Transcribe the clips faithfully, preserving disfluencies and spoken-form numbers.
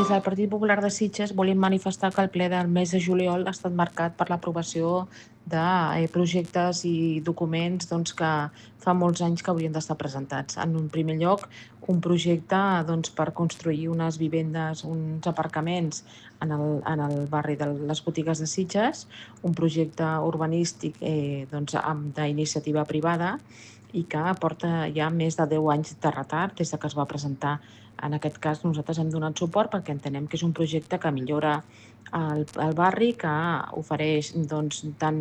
Des del Partit Popular de Sitges volem manifestar que el ple del mes de juliol ha estat marcat per l'aprovació de eh, projectes i documents doncs, que fa molts anys que haurien d'estar presentats. En un primer lloc, un projecte doncs, per construir unes vivendes, uns aparcaments en el, en el barri de les botigues de Sitges, un projecte urbanístic eh, doncs, d'iniciativa privada i que porta ja més de deu anys de retard des que es va presentar. En aquest cas, nosaltres hem donat suport perquè entenem que és un projecte que millora el, el barri, que ofereix doncs, tant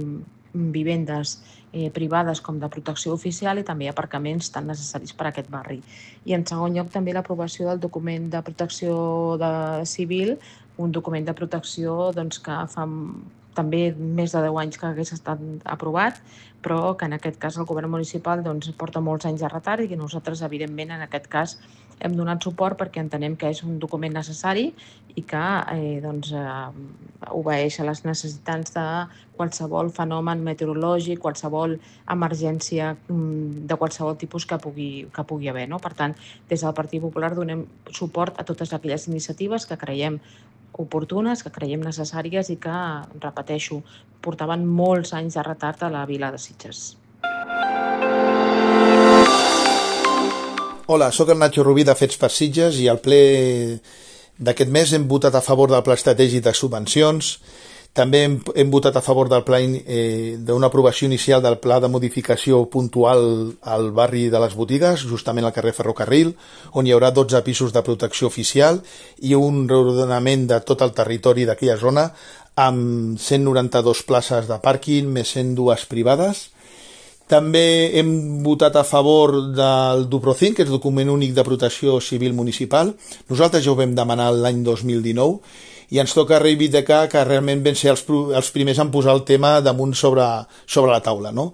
vivendes eh, privades com de protecció oficial i també aparcaments tan necessaris per a aquest barri. I en segon lloc també l'aprovació del document de protecció de civil, un document de protecció doncs, que fa també més de deu anys que hagués estat aprovat, però que en aquest cas el govern municipal doncs, porta molts anys de retard i que nosaltres, evidentment, en aquest cas hem donat suport perquè entenem que és un document necessari i que eh, doncs, eh, obeeix a les necessitats de qualsevol fenomen meteorològic, qualsevol emergència de qualsevol tipus que pugui, que pugui haver. No? Per tant, des del Partit Popular donem suport a totes aquelles iniciatives que creiem oportunes, que creiem necessàries i que, repeteixo, portaven molts anys de retard a la vila de Sitges. Hola, sóc el Nacho Rubí de Fets per Sitges i al ple d'aquest mes hem votat a favor del Pla Estratègic de Subvencions. També hem, hem votat a favor del pla eh, d'una aprovació inicial del pla de modificació puntual al barri de les botigues, justament al carrer Ferrocarril, on hi haurà dotze pisos de protecció oficial i un reordenament de tot el territori d'aquella zona amb cent noranta-dues places de pàrquing més cent dues privades. També hem votat a favor del DUPROCIN, que és el document únic de protecció civil municipal. Nosaltres ja ho vam demanar l'any dos mil dinou i ens toca reivindicar que realment vam ser els, els primers en posar el tema damunt sobre, sobre la taula, no?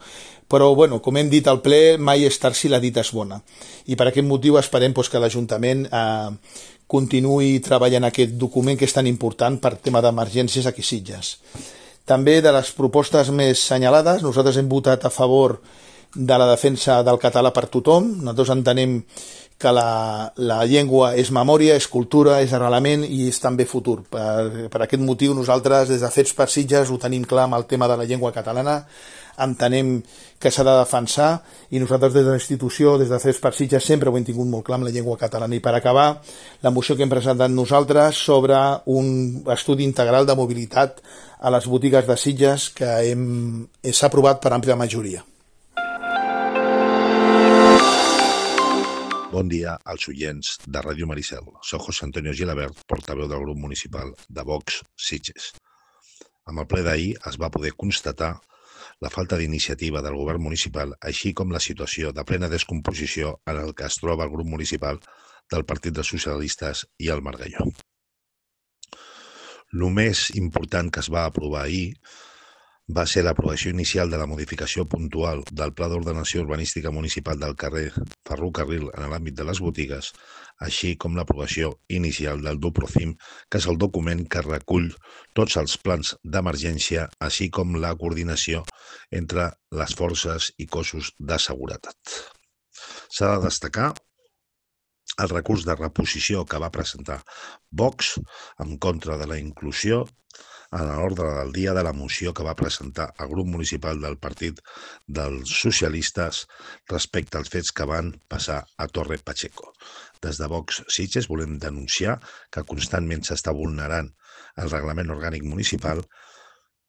Però, bueno, com hem dit al ple, mai és tard si la dita és bona. I per aquest motiu esperem doncs, que l'Ajuntament eh, continuï treballant aquest document que és tan important per tema d'emergències aquí a Sitges. També de les propostes més senyalades, nosaltres hem votat a favor de la defensa del català per tothom. Nosaltres entenem que la, la llengua és memòria, és cultura, és arrelament i és també futur. Per, per aquest motiu nosaltres des de Fets per Sitges ho tenim clar amb el tema de la llengua catalana, entenem que s'ha de defensar i nosaltres des de la institució, des de Fets per Sitges sempre ho hem tingut molt clar amb la llengua catalana. I per acabar, la moció que hem presentat nosaltres sobre un estudi integral de mobilitat a les botigues de Sitges que hem, s'ha aprovat per àmplia majoria. Bon dia als oients de Ràdio Maricel. Soc José Antonio Gilabert, portaveu del grup municipal de Vox Sitges. Amb el ple d'ahir es va poder constatar la falta d'iniciativa del govern municipal, així com la situació de plena descomposició en el que es troba el grup municipal del Partit dels Socialistes i el Margalló. El més important que es va aprovar ahir va ser l'aprovació inicial de la modificació puntual del Pla d'Ordenació Urbanística Municipal del carrer Ferrocarril en l'àmbit de les botigues, així com l'aprovació inicial del DUPROCIM, que és el document que recull tots els plans d'emergència, així com la coordinació entre les forces i cossos de seguretat. S'ha de destacar el recurs de reposició que va presentar Vox en contra de la inclusió en l'ordre del dia de la moció que va presentar el grup municipal del Partit dels Socialistes respecte als fets que van passar a Torre Pacheco. Des de Vox Sitges volem denunciar que constantment s'està vulnerant el reglament orgànic municipal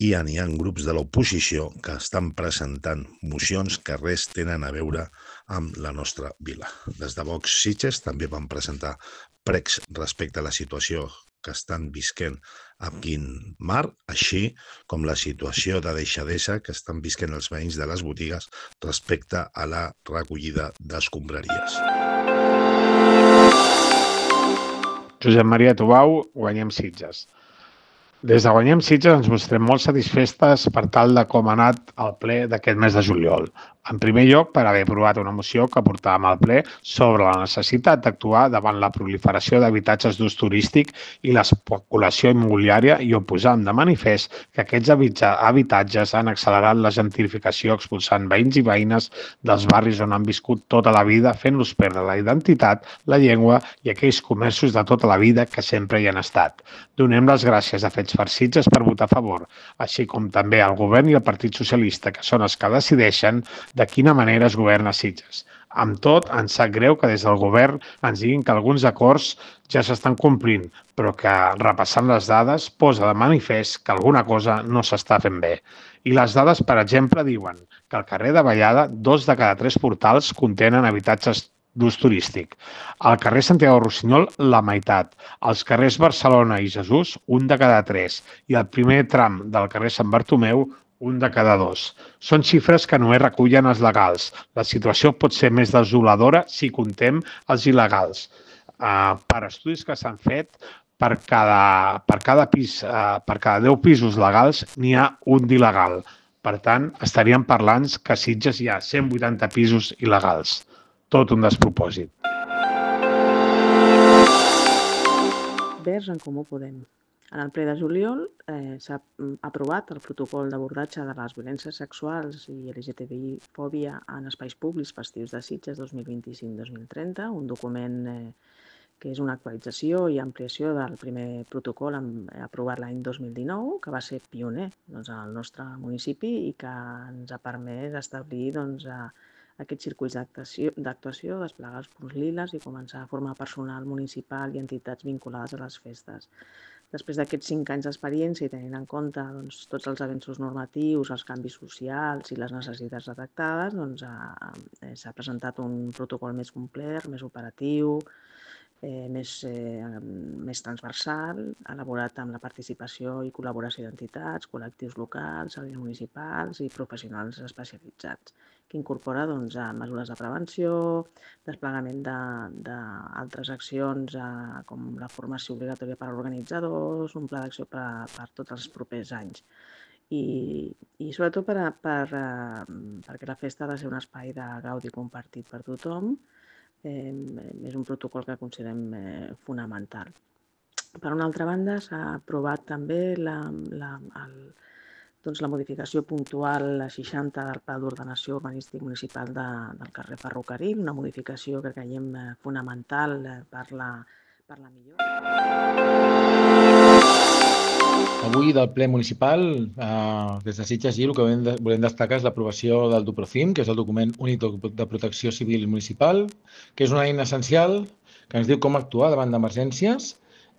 i hi ha grups de l'oposició que estan presentant mocions que res tenen a veure amb la nostra vila. Des de Vox Sitges també van presentar pregs respecte a la situació que estan visquent a Quin Mar, així com la situació de deixadesa que estan visquent els veïns de les botigues respecte a la recollida d'escombraries. Josep Maria Tubau, Guanyem Sitges. Des de Guanyem Sitges ens mostrem molt satisfestes per tal de com ha anat el ple d'aquest mes de juliol. En primer lloc, per haver aprovat una moció que portàvem al ple sobre la necessitat d'actuar davant la proliferació d'habitatges d'ús turístic i l'especulació immobiliària i on posàvem de manifest que aquests habitatges han accelerat la gentrificació expulsant veïns i veïnes dels barris on han viscut tota la vida, fent-los perdre la identitat, la llengua i aquells comerços de tota la vida que sempre hi han estat. Donem les gràcies a Fets per Sitges per votar a favor, així com també al Govern i al Partit Socialista, que són els que decideixen de quina manera es governa Sitges. Amb tot, ens sap greu que des del govern ens diguin que alguns acords ja s'estan complint, però que, repassant les dades, posa de manifest que alguna cosa no s'està fent bé. I les dades, per exemple, diuen que al carrer de Vallada, dos de cada tres portals contenen habitatges d'ús turístic. Al carrer Santiago Rossinyol, la meitat. Als carrers Barcelona i Jesús, un de cada tres. I al primer tram del carrer Sant Bartomeu, un de cada dos. Són xifres que només recullen els legals. La situació pot ser més desoladora si comptem els il·legals. Uh, per estudis que s'han fet, per cada, per cada pis, uh, per cada deu pisos legals n'hi ha un d'il·legal. Per tant, estaríem parlant que a Sitges hi ha cent vuitanta pisos il·legals. Tot un despropòsit. Verds en Comú Podem. En el ple de juliol eh, s'ha aprovat el protocol d'abordatge de les violències sexuals i L G T B I-fòbia en espais públics festius de Sitges dos mil vint-i-cinc dos mil trenta, un document eh, que és una actualització i ampliació del primer protocol aprovat l'any dos mil dinou, que va ser pioner doncs, al nostre municipi i que ens ha permès establir doncs, a, aquests circuits d'actuació, desplegar els punts liles i començar a formar personal municipal i entitats vinculades a les festes. Després d'aquests cinc anys d'experiència i tenint en compte doncs, tots els avenços normatius, els canvis socials i les necessitats detectades, doncs, s'ha presentat un protocol més complet, més operatiu, eh, més, eh, més transversal, elaborat amb la participació i col·laboració d'entitats, col·lectius locals, serveis municipals i professionals especialitzats, que incorpora doncs, mesures de prevenció, desplegament d'altres de, accions eh, com la formació obligatòria per a organitzadors, un pla d'acció per, per tots els propers anys. I, i sobretot per, per, eh, perquè la festa ha de ser un espai de gaudi compartit per tothom, eh, és un protocol que considerem eh, fonamental. Per una altra banda, s'ha aprovat també la, la, el, doncs la modificació puntual a seixanta del Pla d'Ordenació Urbanístic Municipal de, del carrer Ferrocarril, una modificació que creiem fonamental per la, per la millora. Avui del ple municipal, eh, des de Sitges i el que volem, volem destacar és l'aprovació del DUPROCIM, que és el document únic de protecció civil municipal, que és una eina essencial que ens diu com actuar davant d'emergències,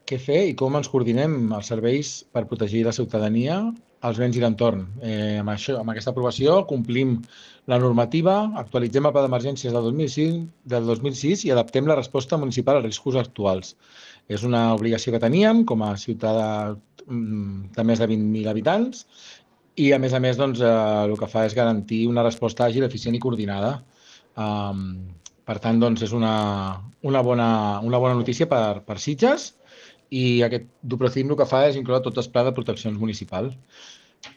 què fer i com ens coordinem els serveis per protegir la ciutadania, els béns i l'entorn. Eh, amb, això, amb aquesta aprovació complim la normativa, actualitzem el pla d'emergències del dos mil cinc, del dos mil sis i adaptem la resposta municipal als riscos actuals. És una obligació que teníem com a ciutadà de més de vint mil habitants i, a més a més, doncs, eh, el que fa és garantir una resposta àgil, eficient i coordinada. Um, per tant, doncs, és una, una, bona, una bona notícia per, per Sitges i aquest DUPROCIM el que fa és incloure tots els plans de proteccions municipals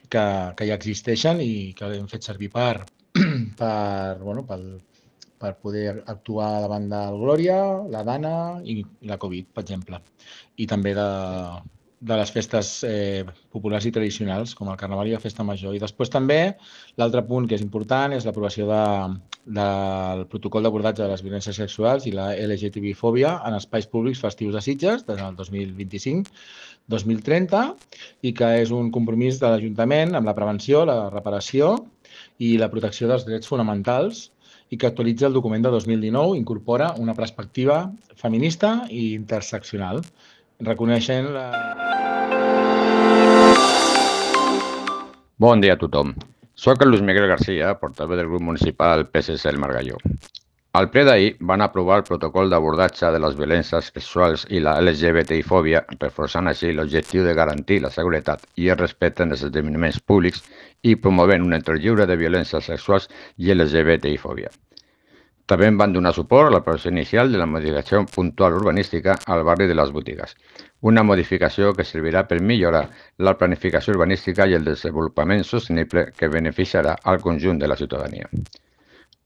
que, que ja existeixen i que hem fet servir per, per, bueno, per, per poder actuar davant del Glòria, la Dana i la Covid, per exemple. I també de, de les festes eh, populars i tradicionals, com el Carnaval i la Festa Major. I després també, l'altre punt que és important és l'aprovació de, del protocol d'abordatge de les violències sexuals i la L G T B I-fòbia en espais públics festius de Sitges des del dos mil vint-i-cinc dos mil trenta i que és un compromís de l'Ajuntament amb la prevenció, la reparació i la protecció dels drets fonamentals i que actualitza el document de dos mil dinou, incorpora una perspectiva feminista i interseccional, reconeixent la... Bon dia a tothom. Soc el Luis Miguel García, portaveu del grup municipal P S C El Margalló. Al ple d'ahir van aprovar el protocol d'abordatge de les violències sexuals i la L G B T I-fòbia, reforçant així l'objectiu de garantir la seguretat i el respecte en els esdeveniments públics i promovent un entorn lliure de violències sexuals i L G B T I-fòbia. També van donar suport a l'aprovació inicial de la modificació puntual urbanística al barri de les Botigues, una modificació que servirà per millorar la planificació urbanística i el desenvolupament sostenible que beneficiarà al conjunt de la ciutadania.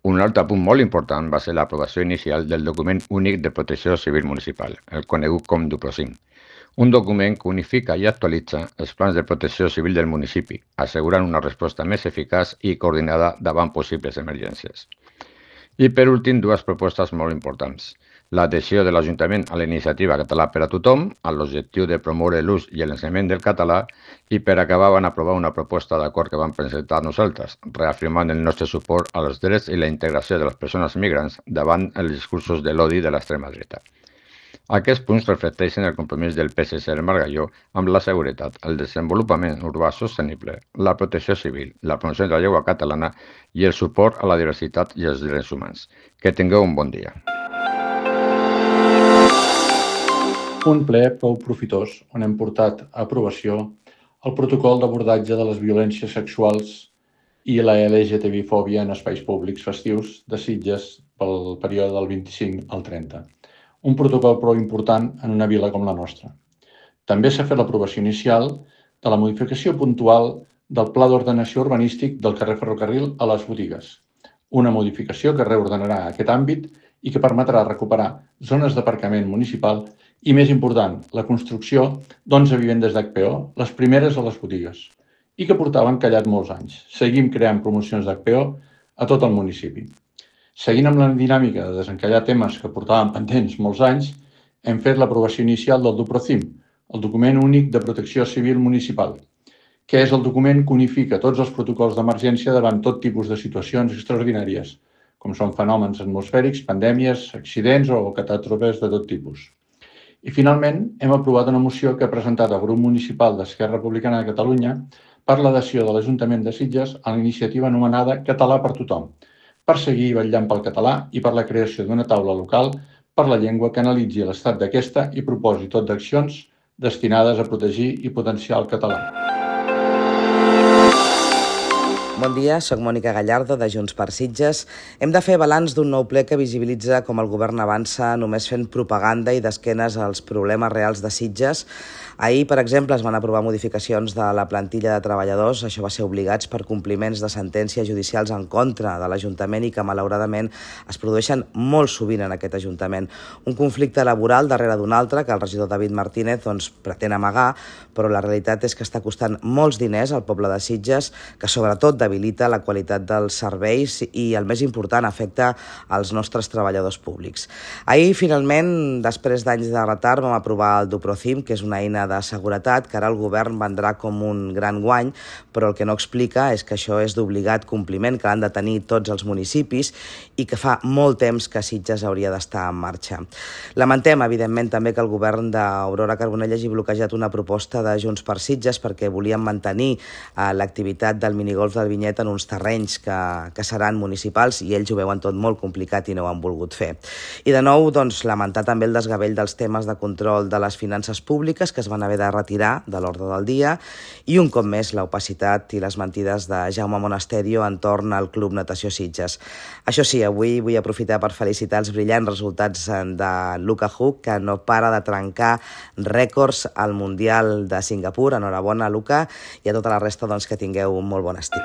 Un altre punt molt important va ser l'aprovació inicial del document únic de protecció civil municipal, el conegut com DUPROCIM, un document que unifica i actualitza els plans de protecció civil del municipi, assegurant una resposta més eficaç i coordinada davant possibles emergències. I per últim, dues propostes molt importants. L'adhesió de l'Ajuntament a la iniciativa Català per a tothom, amb l'objectiu de promoure l'ús i l'ensenyament del català, i per acabar van aprovar una proposta d'acord que vam presentar nosaltres, reafirmant el nostre suport als drets i la integració de les persones migrants davant els discursos de l'odi de l'extrema dreta. Aquests punts reflecteixen el compromís del P S C del Margalló amb la seguretat, el desenvolupament urbà sostenible, la protecció civil, la promoció de la llengua catalana i el suport a la diversitat i els drets humans. Que tingueu un bon dia. Un ple prou profitós on hem portat a aprovació el protocol d'abordatge de les violències sexuals i la L G T B-fòbia en espais públics festius de Sitges pel període del vint-i-cinc al trenta. Un protocol prou important en una vila com la nostra. També s'ha fet l'aprovació inicial de la modificació puntual del Pla d'Ordenació Urbanístic del carrer Ferrocarril a les botigues. Una modificació que reordenarà aquest àmbit i que permetrà recuperar zones d'aparcament municipal i, més important, la construcció d'onze vivendes d'H P O, les primeres a les botigues, i que portaven callat molts anys. Seguim creant promocions d'H P O a tot el municipi. Seguint amb la dinàmica de desencallar temes que portàvem pendents molts anys, hem fet l'aprovació inicial del DUPROCIM, el document únic de protecció civil municipal, que és el document que unifica tots els protocols d'emergència davant tot tipus de situacions extraordinàries, com són fenòmens atmosfèrics, pandèmies, accidents o catàstrofes de tot tipus. I finalment hem aprovat una moció que ha presentat el grup municipal d'Esquerra Republicana de Catalunya per l'adhesió de l'Ajuntament de Sitges a la iniciativa anomenada Català per tothom, per seguir vetllant pel català i per la creació d'una taula local per la llengua que analitzi l'estat d'aquesta i proposi tot d'accions destinades a protegir i potenciar el català. Bon dia, soc Mònica Gallardo, de Junts per Sitges. Hem de fer balanç d'un nou ple que visibilitza com el govern avança només fent propaganda i d'esquenes als problemes reals de Sitges. Ahir, per exemple, es van aprovar modificacions de la plantilla de treballadors. Això va ser obligats per compliments de sentències judicials en contra de l'Ajuntament i que, malauradament, es produeixen molt sovint en aquest Ajuntament. Un conflicte laboral darrere d'un altre que el regidor David Martínez doncs, pretén amagar, però la realitat és que està costant molts diners al poble de Sitges, que sobretot debilita la qualitat dels serveis i, el més important, afecta als nostres treballadors públics. Ahir, finalment, després d'anys de retard, vam aprovar el DUPROCIM, que és una eina de seguretat que ara el govern vendrà com un gran guany, però el que no explica és que això és d'obligat compliment, que l'han de tenir tots els municipis i que fa molt temps que Sitges hauria d'estar en marxa. Lamentem, evidentment, també que el govern d'Aurora Carbonell hagi bloquejat una proposta de Junts per Sitges perquè volien mantenir eh, l'activitat del minigolf del Vinyet en uns terrenys que, que seran municipals i ells ho veuen tot molt complicat i no ho han volgut fer. I de nou, doncs, lamentar també el desgavell dels temes de control de les finances públiques que es van haver de retirar de l'ordre del dia i un cop més l'opacitat i les mentides de Jaume Monasterio entorn al Club Natació Sitges. Això sí, avui vull aprofitar per felicitar els brillants resultats de Luka Huk, que no para de trencar rècords al Mundial de Singapur. Enhorabona, Luka, i a tota la resta doncs, que tingueu un molt bon estiu.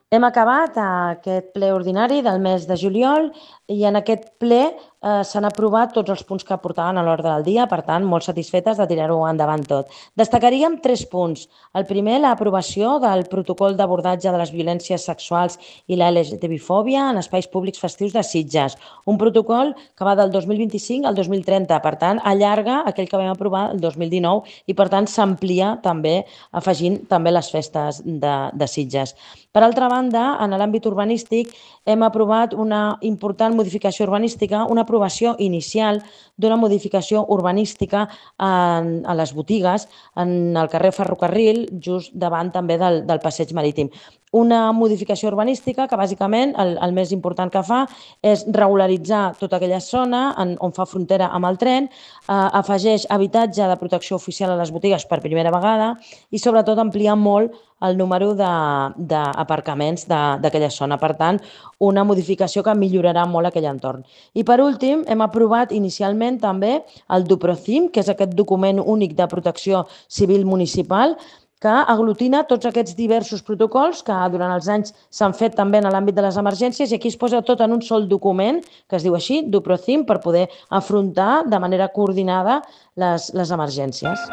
Hem acabat aquest ple ordinari del mes de juliol i en aquest ple eh, s'han aprovat tots els punts que portaven a l'ordre del dia, per tant, molt satisfetes de tirar-ho endavant tot. Destacaríem tres punts. El primer, l'aprovació del protocol d'abordatge de les violències sexuals i la L G T B-fòbia en espais públics festius de Sitges. Un protocol que va del dos mil vint-i-cinc al dos mil trenta, per tant, allarga aquell que vam aprovar el dos mil dinou i, per tant, s'amplia també, afegint també les festes de, de Sitges. Per altra banda, en l'àmbit urbanístic hem aprovat una important modificació urbanística, una aprovació inicial d'una modificació urbanística en, a les botigues, en el carrer Ferrocarril, just davant també del, del passeig marítim. Una modificació urbanística que bàsicament el, el més important que fa és regularitzar tota aquella zona en, on fa frontera amb el tren, eh, afegeix habitatge de protecció oficial a les botigues per primera vegada i sobretot ampliar molt el número d'aparcaments d'aquella zona. Per tant, una modificació que millorarà molt aquell entorn. I per últim, hem aprovat inicialment també el DUPROCIM, que és aquest document únic de protecció civil municipal, que aglutina tots aquests diversos protocols que durant els anys s'han fet també en l'àmbit de les emergències, i aquí es posa tot en un sol document, que es diu així, DuProCim, per poder afrontar de manera coordinada les, les emergències.